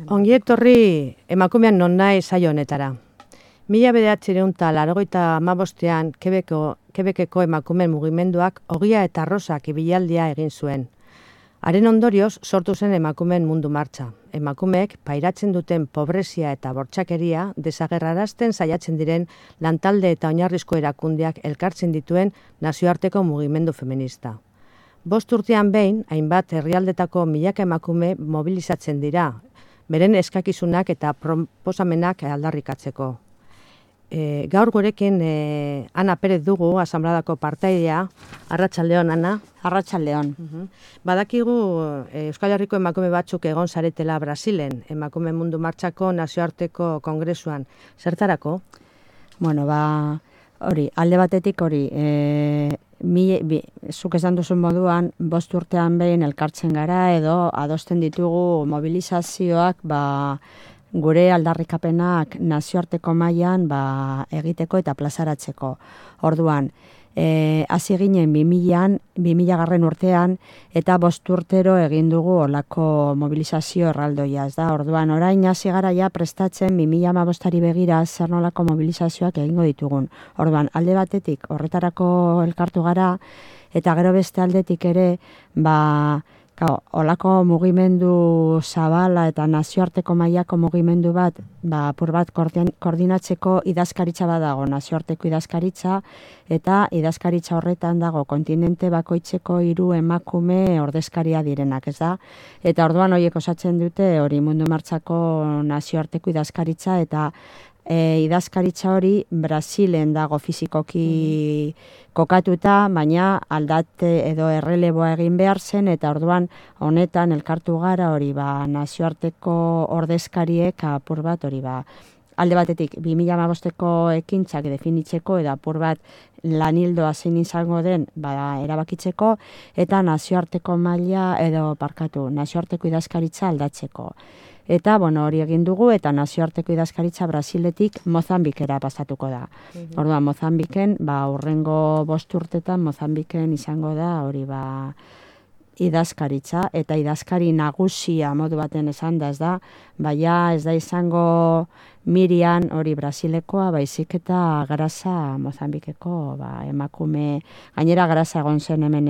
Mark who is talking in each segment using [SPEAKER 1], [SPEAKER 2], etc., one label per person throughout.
[SPEAKER 1] Ongi etorri emakumean non nahi saio honetara. 1985 Quebeceko emakumeen mugimenduak ogia eta arrosak ibilaldia egin zuen. Haren ondorioz sortu zen emakumeen mundu martxa. Emakumeek pairatzen duten pobrezia eta bortxakeria desagerrarazten saiatzen diren lantalde eta oinarrizko erakundeak elkartzen dituen nazioarteko mugimendu feminista. 5 urtean behin, hainbat herrialdetako milaka emakume mobilizatzen dira, beren eskakizunak eta proposamenak aldarrikatzeko. Gaur gurekin Ana Perez dugu, asanbladako partaidea. Arratsaldeon, Ana.
[SPEAKER 2] Arratsaldeon.
[SPEAKER 1] Badakigu Euskal Herriko emakume batzuk egon zaretela Brasilen, emakume mundu martxako nazioarteko kongresuan. Zertarako?
[SPEAKER 2] Bueno, hori, alde batetik hori, zuk esan duzun moduan, 5 urtean behin elkartzen gara edo adosten ditugu mobilizazioak, gure aldarrikapenak nazioarteko mailan egiteko eta plazaratzeko. Orduan, hasi ginen 2000 urtean eta 5 urtero egin dugu olako mobilizazio erraldoia, ez da? Orduan, orain hasi gara ja prestatzen 2015ari begira zer nolako mobilizazioak egingo ditugun. Orduan, alde batetik horretarako elkartu gara eta gero beste aldetik ere, olako mugimendu zabala eta nazioarteko mailako mugimendu bat, apur bat koordinatzeko idazkaritza badago, nazioarteko idazkaritza, eta idazkaritza horretan dago kontinente bakoitzeko 3 emakume ordezkaria direnak, ez da? Eta orduan horiek osatzen dute hori mundu martxako nazioarteko idazkaritza, eta idazkaritza hori Brasilen dago fizikoki kokatuta, baina aldate edo erreleboa egin behar zen, eta orduan honetan elkartu gara hori nazioarteko ordezkariek apur bat hori alde batetik 2015ko ekintzak definitzeko eta apur bat lanildoa zein izango den erabakitzeko, eta nazioarteko maila nazioarteko idazkaritza aldatzeko. Eta, hori egin dugu, eta nazioarteko idazkaritza Brasiletik Mozambikera pasatuko da. Orduan, Mozambiken, urrengo 5 urtetan Mozambiken izango da, hori idazkaritza, eta idazkari nagusia modu baten esan da, ez da, ez da izango Miriam hori Brasilekoa, baizik eta Grasa Mozambikeko emakume, gainera Grasa egon zen hemen,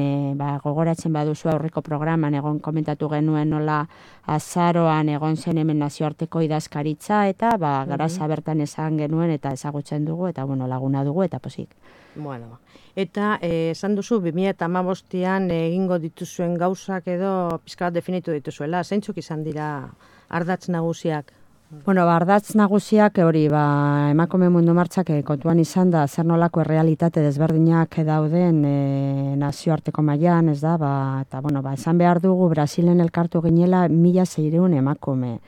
[SPEAKER 2] gogoratzen baduzu aurreko programan egon komentatu genuen nola azaroan egon zen hemen nazioarteko idazkaritza, eta Grasa bertan esan genuen eta ezagutzen dugu, eta laguna dugu, eta posik.
[SPEAKER 1] Bueno, eta esan duzu 2015an egingo dituzuen gauzak edo pixka bat definitu dituzuela, zeintzuk izan dira ardatz nagusiak?
[SPEAKER 2] Ardatz nagusiak hori emakume mundu martxak kontuan izan da zer nolako errealitate desberdinak dauden nazioarteko mailan, ez da, eta esan behar dugu Brasilen elkartu ginela 1600 emakume.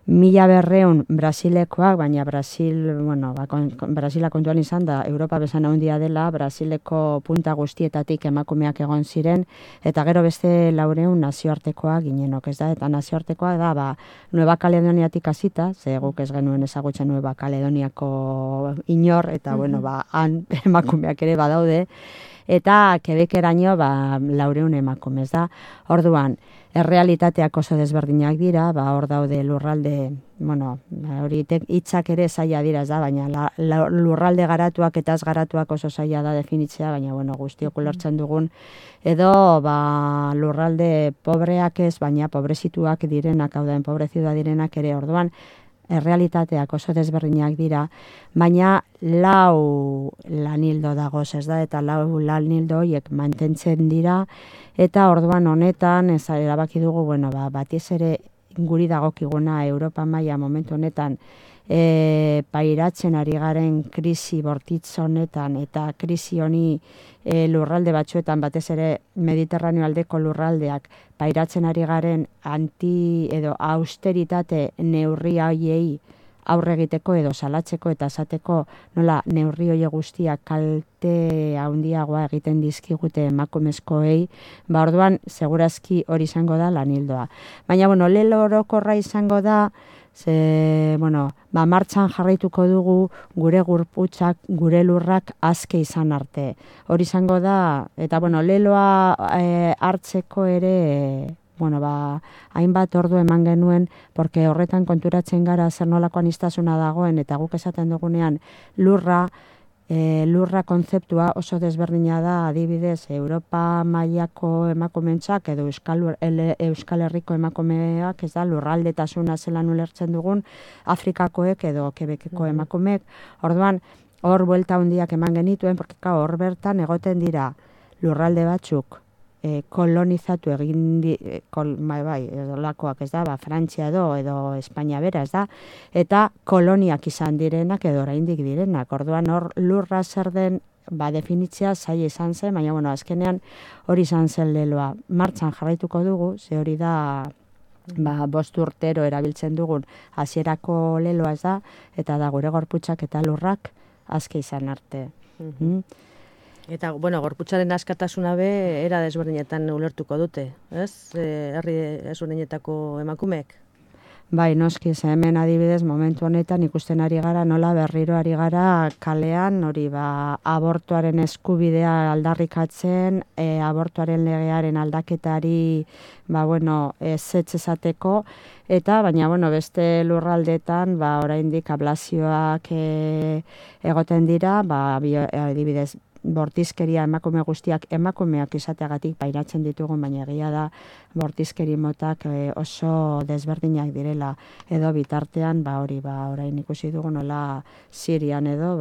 [SPEAKER 2] 1200 Brasilekoak, baina Brasila kontuan izan da, Europa besan handia dela, Brasileko punta guztietatik emakumeak egon ziren, eta gero beste 400 nazioartekoak ginenok, ez da, eta nazioartekoak da, Nueva Caledoniatik hasita, ze guk ez genuen ezagutzen Nueva Caledoniako inor, eta han emakumeak ere badaude, eta Quebeceraino 400 emakume, ez da. Orduan, errealitateak oso desberdinak dira, hor daude lurralde, hori hitzak ere zaila dira, ez da, baina lurralde garatuak eta ez garatuak oso zaila da definitzea, baina guztiok ulertzen dugun, edo lurralde pobreak ez, baina pobrezituak direnak, hau da, enpobrezituak direnak ere, orduan, errealitateak oso desberdinak dira, baina 4 lanildo dagoz, ez da, eta 4 lanildo horiek mantentzen dira, eta orduan honetan, erabaki dugu, batiez ere guri dagokiguna Europa maila momentu honetan, pairatzen ari garen krisi bortitz honetan, eta krisi honi lurralde batzuetan, batez ere Mediterraneo aldeko lurraldeak, pairatzen ari garen edo austeritate neurri horiei aurre egiteko edo salatzeko eta esateko nola neurri horiek guztiak kalte handiagoa egiten dizkigute emakumezkoei, orduan segurazki hori izango da lanildoa. Baina, lelo orokorra izango da, martxan jarraituko dugu gure gorputzak, gure lurrak aske izan arte. Hori izango da, eta leloa hartzeko ere, hainbat ordu eman genuen, porque horretan konturatzen gara zer nolako aniztasuna dagoen, eta guk esaten dugunean lurra kontzeptua oso desberdina da, adibidez, Europa mailako emakumentzak edo Euskal Herriko emakumeak, ez da, lurraldetasuna zelan ulertzen dugun, Afrikakoek edo Quebeceko emakumeek. Orduan, hor buelta handiak eman genituen, porque hor bertan egoten dira lurralde batzuk kolonizatu egin lakoak, ez da, Frantzia edo Espainia bera, ez da, eta koloniak izan direnak edo oraindik direnak. Orduan hor lurra zer den definitzea zaila izan zen, baina azkenean hori izan zen leloa. Martxan jarraituko dugu, ze hori da 5 urtero erabiltzen dugun hasierako leloa, ez da, eta da gure gorputzak eta lurrak aske izan arte.
[SPEAKER 1] Eta, gorputzaren askatasuna era desberdinetan ulertuko dute, ez? Herri desberdinetako emakumeek?
[SPEAKER 2] Bai, noski, hemen adibidez momentu honetan ikusten ari gara, nola berriro ari gara kalean, hori abortuaren eskubidea aldarrikatzen, abortuaren legearen aldaketari, ezetz esateko, eta, baina, beste lurraldetan, oraindik ablazioak egoten dira, adibidez, bortizkeria emakume guztiak emakumeak izateagatik pairatzen ditugun, baina egia da bortizkeri motak oso desberdinak direla, edo bitartean, orain ikusi dugu nola Sirian edo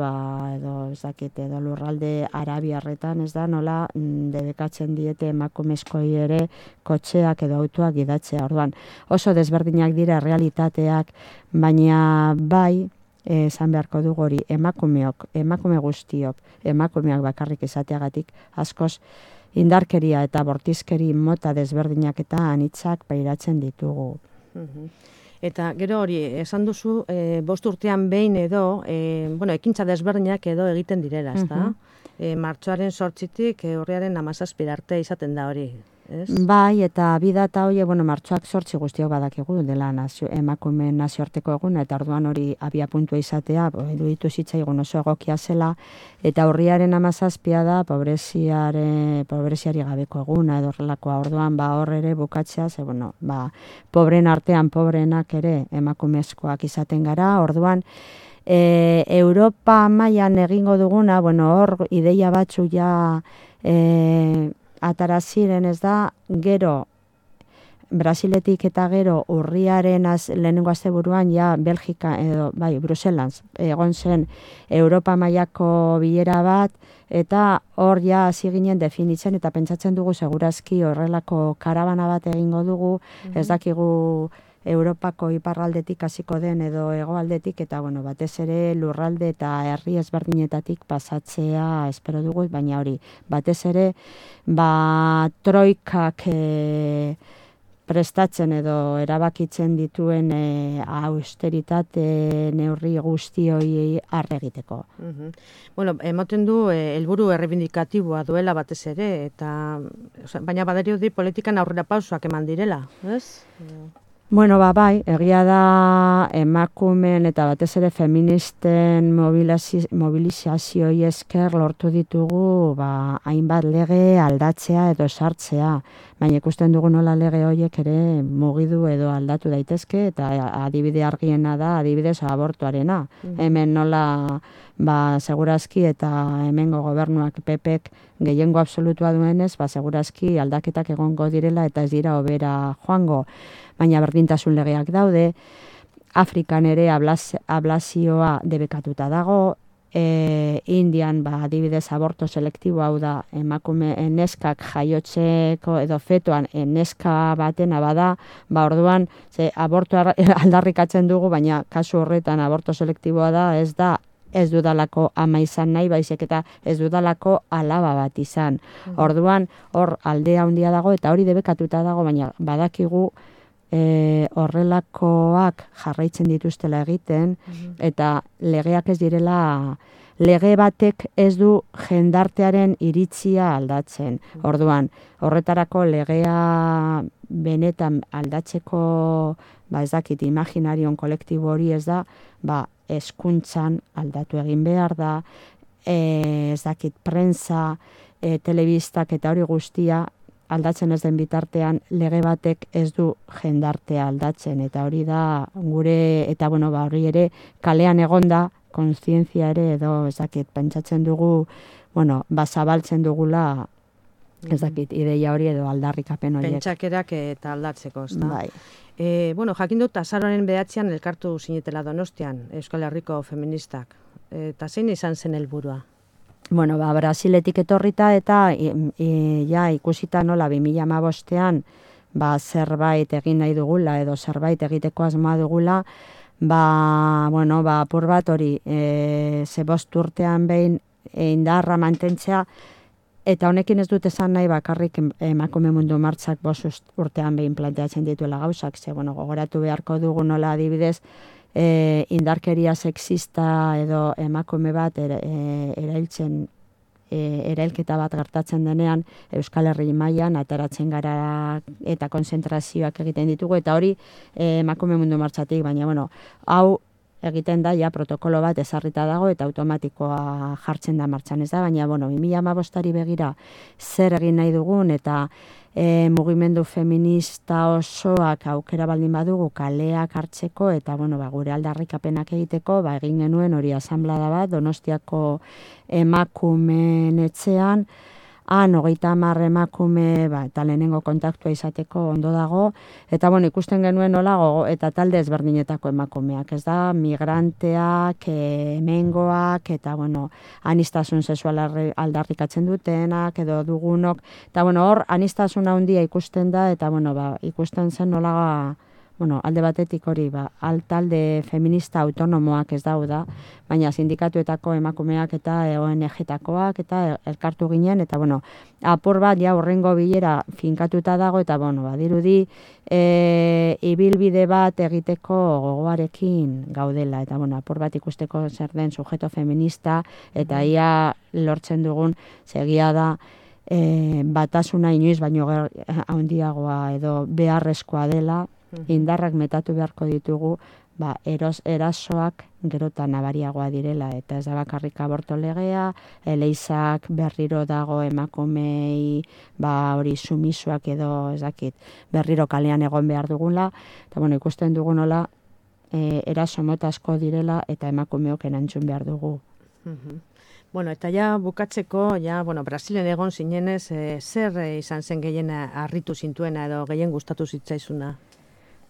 [SPEAKER 2] lurralde arabiarretan, ez da, nola debekatzen diete emakumezkoi ere kotxeak edo autoak gidatzea. Orduan, oso desberdinak dira realitateak, baina esan beharko dugu hori emakume guztiok, emakumeak bakarrik izateagatik askoz indarkeria eta bortizkeri mota desberdinak eta anitzak pairatzen ditugu.
[SPEAKER 1] Eta gero hori, esan duzu, 5 urtean behin edo, ekintza desberdinak edo egiten direla, ez da? Martxoaren 8-tik urriaren 17 arte izaten da hori.
[SPEAKER 2] Bai, eta bidata hori, martxoak 8 guztiok badakigu dela emakumeen nazioarteko eguna, eta orduan hori abia puntua izatea, iruditu zitzaigun oso egokia zela, eta urriaren 17 da pobreziari gabeko eguna, edo horrelakoa. Orduan hor ere bukatzea, pobren artean pobrenak ere emakumezkoak izaten gara. Orduan, Europa mailan egingo duguna, hor ideia batzu atara ziren, ez da, gero Brasiletik eta gero urriaren lehenengo asteburuan Belgika edo Bruselan egon zen Europa mailako bilera bat, eta hor hasi ginen definitzen eta pentsatzen dugu segurazki horrelako karabana bat egingo dugu, ez dakigu Europako iparraldetik hasiko den edo hegoaldetik, eta batez ere lurralde eta herri ezberdinetatik pasatzea espero dugu, baina hori batez ere troikak prestatzen edo erabakitzen dituen austeritate neurri guzti hori arre egiteko.
[SPEAKER 1] Ematen du helburu errebindikatiboa duela batez ere, baina badirudi politikan aurrera pausoak eman direla, ez?
[SPEAKER 2] Bai, egia da emakumeen eta batez ere feministen mobilizazioei esker lortu ditugu hainbat lege aldatzea edo sartzea, baina ikusten dugu nola lege horiek ere mugidu edo aldatu daitezke, eta adibide argiena da adibidez abortuarena. Hemen nola segurazki eta hemengo gobernuak PPek gehiengo absolutua duenez, segurazki aldaketak egongo direla eta ez dira hobera joango. Baina berdintasun legeak daude, Afrikan ere ablazioa debekatuta dago, Indian adibidez aborto selektibo, hau da emakume neskak jaiotzeko edo fetoan neska batena bada, orduan abortua aldarrikatzen dugu, baina kasu horretan aborto selektiboa da, ez dudalako ama izan nahi, baizik eta ez dudalako alaba bat izan. Orduan hor aldea handia dago eta hori debekatuta dago, baina badakigu horrelakoak jarraitzen dituztela egiten, eta legeak ez direla, lege batek ez du jendartearen iritzia aldatzen. Orduan, horretarako legea benetan aldatzeko, ez dakit, imaginarion kolektibo hori ez da, hezkuntzan aldatu egin behar da, ez dakit, prensa, telebistak eta hori guztia, aldatzen ez den bitartean lege batek ez du jendartea aldatzen, eta hori da gure, eta hori ere kalean egonda, kontzientzia ere edo pentsatzen dugu, zabaltzen dugula, ez dakit, ideia hori edo aldarrikapen horiek.
[SPEAKER 1] Pentsakerak eta aldatzeko, ezta?
[SPEAKER 2] Bai.
[SPEAKER 1] Jakin dut, azaroaren 9 elkartu zinetela Donostian, Euskal Herriko feministak. Eta zein izan zen helburua?
[SPEAKER 2] Brasiletik etorrita eta ikusita nola 2015ean zerbait egin nahi dugula edo zerbait egiteko asmoa dugula, apur bat hori, 5 urtean behin indarra mantentzea, eta honekin ez dut esan nahi bakarrik emakume mundu martxak 5 urtean behin planteatzen dituela gauzak, gogoratu beharko dugu nola adibidez, indarkeria sexista edo emakume bat erailketa bat gertatzen denean Euskal Herri mailan ateratzen gara eta konzentrazioak egiten ditugu, eta hori emakume mundu martxatik, baina hau egiten da, protokolo bat ezarrita dago eta automatikoa jartzen da martxan, ez da, baina 2015ari begira zer egin nahi dugun eta mugimendu feminista osoak aukera baldin badugu kaleak hartzeko eta gure aldarrikapenak egiteko, egin genuen hori asanblada bat Donostiako emakumeen etxean, 30 emakume eta lehenengo kontaktua izateko ondo dago, eta ikusten genuen nola eta talde ezberdinetako emakumeak, ez da, migranteak, hemengoak, eta aniztasun sexuala aldarrikatzen dutenak, edo dugunok, eta hor aniztasuna handia ikusten da, eta ikusten zen nola alde batetik hori, talde feminista autonomoak ez da, baina sindikatuetako emakumeak eta ONG-takoak eta elkartu ginen, eta apur bat horrengo bilera finkatuta dago, eta dirudi ibilbide bat egiteko gogoarekin gaudela, eta apur bat ikusteko zer den sujeto feminista, eta ia lortzen dugun segia da, batasuna inoiz baino handiagoa edo beharrezkoa dela, indarrak metatu beharko ditugu, erasoak gerotan nabariagoa direla, eta ez da bakarrik aborto legea, eleizak berriro dago emakumei, hori sumisoak edo, ez dakit, berriro kalean egon behar dugula, eta ikusten dugunola, eraso mota asko direla, eta emakumeok erantzun behar dugu.
[SPEAKER 1] Eta bukatzeko, Brasilen egon zinenez, zer izan zen gehien harritu zintuena edo gehien gustatu zitzaizuna?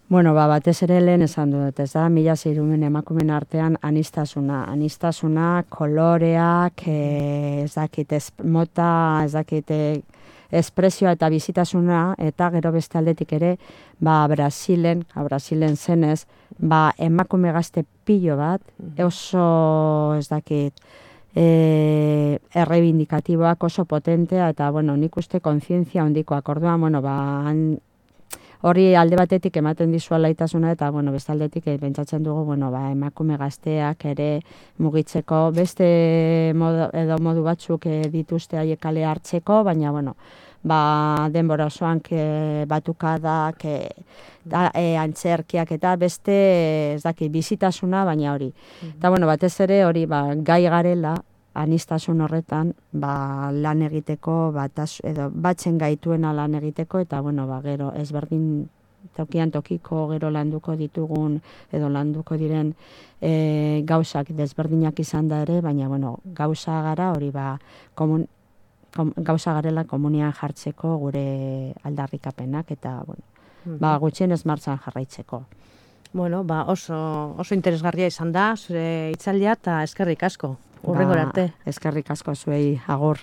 [SPEAKER 2] Batez ere lehen esan dut, ez da, 1600 emakumen artean aniztasuna, koloreak, ez dakit, mota, ez dakit, espresioa eta bizitasuna, eta gero beste aldetik ere, Brasilen zenez, emakume gazte pilo bat, oso, ez dakit, errebindikatiboak oso potentea, eta, nik uste kontzientzia handikoak, orduan, hori alde batetik ematen dizua laitasuna, eta beste aldetik pentsatzen dugu emakume gazteak ere mugitzeko, beste modu batzuk dituzte haiek kale hartzeko, baina denbora osoan batukadak, antzerkiak eta beste bizitasuna, baina hori. Eta batez ere hori gai garela, anistasun horretan, lan egiteko, edo batzen gaituena lan egiteko, eta gero ezberdin tokian tokiko gero landuko ditugun, edo landuko diren gauzak desberdinak izan da ere, baina gauza gara hori gauza garela komunian jartzeko gure aldarrikapenak, eta gutxienez martxan jarraitzeko.
[SPEAKER 1] Oso interesgarria izan da, zure hitzaldia, eta eskerrik asko. Urrengora arte.
[SPEAKER 2] Eskerrik asko zuei, agur.